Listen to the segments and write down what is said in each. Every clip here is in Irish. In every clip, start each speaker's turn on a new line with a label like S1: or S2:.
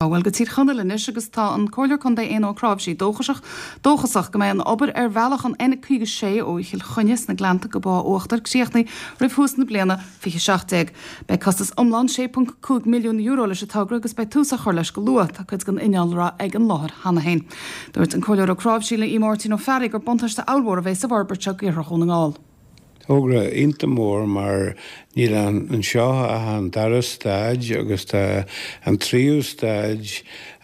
S1: Bhuel, go Tír Chonaill anois agus tá an Comhairleoir Contae Éanna Ó Cnáimhsí dóchasach, dóchasach go mbeidh an obair ar bhealach an N56 ó Chill Chainnigh sna Gleannta go Bá Uachtair críochnaithe roimh thús na bliana 2017. Beidh costas iomlán €6.5 milliún leis an togra agus beidh tús á chur leis go luath. Tá cuid den innealra ag an láthair cheana féin. Dúirt an Comhairleoir Ó Cnáimhsí le Máirtín Ó Fearraigh gur buntáiste ollmhór a bheidh sa bhforbairt seo d'iarthar Dhún na nGall.
S2: Togra iontach mór mar níl anseo ach an dara staid agus tá an tríú staid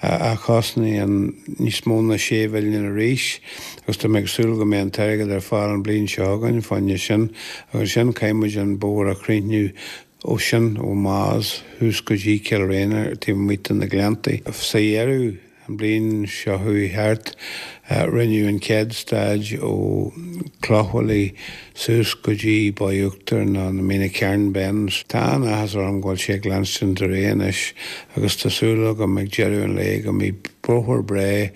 S2: a chosnaíonn níos mó ná sé mhilliún arís agus tá mé ag súil go mbeidh an t-airgead ar fáil an bhliain seo chugainn fá choinne sin agus ansin caithfidh muid an bóthar a chríochnú ó sin ó Maghas thuas go dtí Cill Réine taobh amuigh de na Gleanntaí. Sa dheireadh An bhliain seo chuaigh thart, rinneadh an chéad staid ó Clochmhaolaigh suas go dtí Baigh Uachtair nó na Mín na Cearn Bends. Tá an-áthas orm go bhfuil sé ag leanstint ar aghaidh anois agus tá súil agam ag deireadh an lae go mbeidh bóthar breá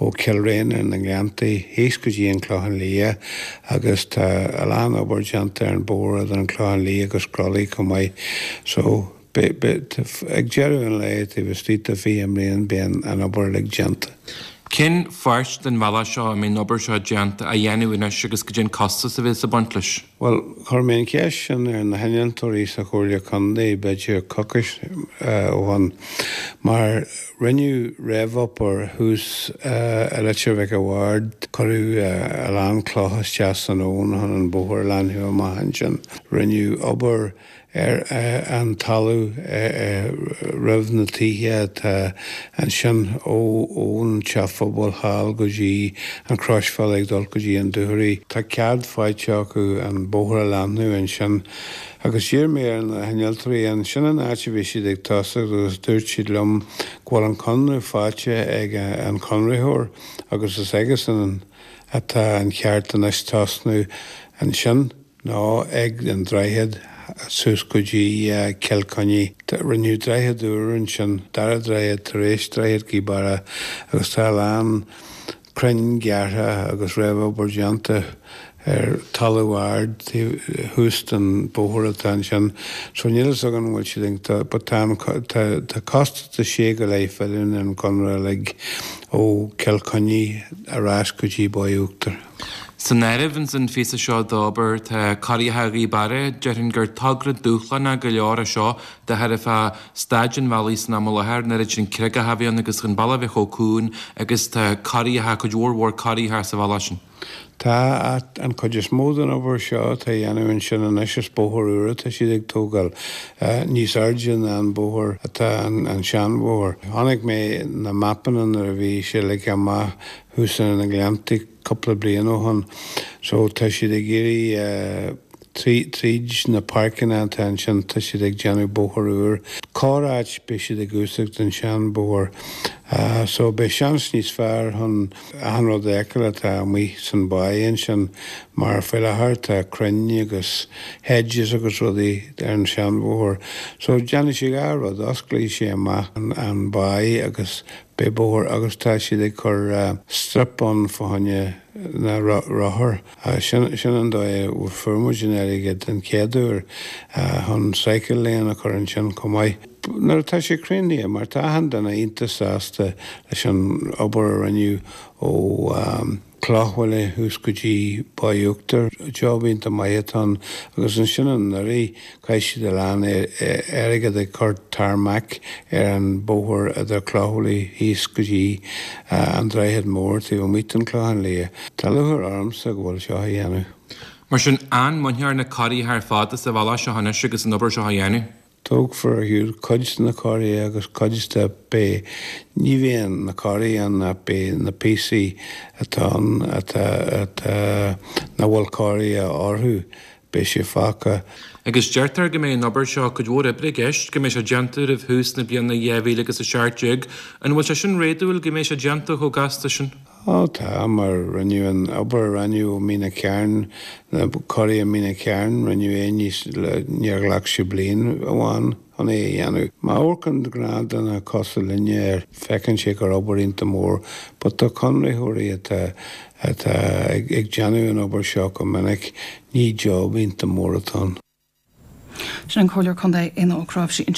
S2: ó Chill Réine na nGleanntaí thíos go dtí an Clochán Liath agus tá a lán obair déanta ar an bóthar idir an Clochán Liath agus Croithlí chomh maith so Beidh, ag deireadh an lae, taobh istigh de 20 mbliain, beidh an obair uilig déanta.
S3: Cén pháirt den bhealach seo a mbeidh an obair seo déanta, á dhéanamh anois agus goidé an costas a bheas ag baint leis?
S2: Bhuel, chuir mé an cheist sin ar na hinnealtóirí sa Chomhairle Contae b'fhéidir coicís ó shin, mar rinneadh réamhobair thuas i Leitir Mhic a' Bhaird, cuireadh a lán cloch isteach san abhainn chun an bóthar a leathnú amach ansin, rinneadh obair ar an talamh roimh na tithe atá ansin ón teach phobail thall go dtí an croisbhealach ag dul go dtí an Dúchoraidh. Tá cead faighte acu an bóthar a leathnú ansin agus d'iarr mé ar na hinnealtóirí an sin an áit a bhí siad ag tosacht agus dúirt siad liom go bhfuil an conradh faighte ag an chonraitheoir agus is aigesan atá an ceart anois tosnú ansin. nó ag an droichead suas go dtí Cill Chainnigh. Rinneadh droichead úr ansin, dara droichead tar éis droichead Ghaoth Beara agus tá a lán crainn gearrtha agus réamhobair déanta ar talamh ard thuas den bóthar atá ansin. So níl fhios agam an bhfuil siad ag, but tá an, tá costas de sé go leith mhilliún ar an gconradh uilig ó Cill Chainnigh ar ais go dtí Baigh Uachtair.
S3: San áireamh ins an phíosa seo d'obair tá Corraithe Ghaoth Beara, déarfainn gur togra dúshlánach go leor é seo de thairbhe staid an bhealaigh san am i láthair, an oiread sin creagacha a bheith ann agus an bealach a bheith chomh cúng agus tá corraithe, cuid mhór mhór corraithe sa bhealach sin.
S2: Tá, an chuid is mó den obair seo atá á dhéanamh ansin anois is bóthar úr atá siad ag tógáil, níos airde ná an bóthar atá an seanbhóthar. Chonaic mé na mapanna nuair a bhí sé ligthe amach thuas ar na Gleanntaí cúpla bliain ó shin. So tá siad ag iarraidh tríd na páirceanna atá ansin tá siad ag déanamh bóthar úr. Corr áit beidh siad ag úsáid an sean bóthar. So beidh seans níos fearr chun achan rud a fheiceáil atá amuigh san báigh ansin mar faoi láthair tá crainn agus hedges agus rudaí ar an sean bhóthar. So déanfaidh sé dhá rud, osclóidh sé amach an báigh agus Beidh bóthar agus tá siad ag cur strip ann fá choinne na rothar. Sin sin an dóigh a fuair muid an airgead an chéad uair chun cycle lane a chur ansin chomh maith. Nuair atá sé críochnaithe, mar tá achan duine iontach sásta leis an obair a rinneadh ó. Clochmhaolaigh thuas go dtí Baigh Uachtair. Job iontach maith atá ann agus ansin anuraidh chaith siad a lán airgead ag cur tarmac ar an bóthar idir Clochmhaolaigh thíos go dtí an Droichead Mór taobh amuigh den Chlochán Liath. Tá lúcháir ormsa go bhfuil seo á dhéanamh.
S3: Mar sin, an mbainfear na corraithe ar fad as an bhealach seo anois agus an obair seo á dhéanamh?
S2: Tógfar ar shiúl cuid de na corraithe agus cuid de beidh, ní bheidh na corraithe ann ach beidh na píosaí atá ann atá, atá, nach bhfuil corraithe orthu, beidh sé fágtha.
S3: Agus deirtear go mbeidh an obair seo, cuid mhór oibre i gceist, go mbeidh sé déanta roimh thús na bliana 2017. An bhfuil sé sin réadúil go mbeidh sé déanta chomh gasta sin?
S2: Ó tá, mar rinneadh an obair a rinneadh ó Mín na Cearn, na corraithe Mín na Cearn, rinneadh é níos, níor ghlac sé bliain amháin chun é a dhéanamh. Má amharcann gnáthdhuine cosúil linne air, feiceann sé gur obair iontach mór, but do chonraitheoirí atá, atá ag déanamh an obair seo go minic, ní job iontach mór atá ann.
S1: Sin an Comhairleoir Contae Éanna Ó Cnáimhsí ansin.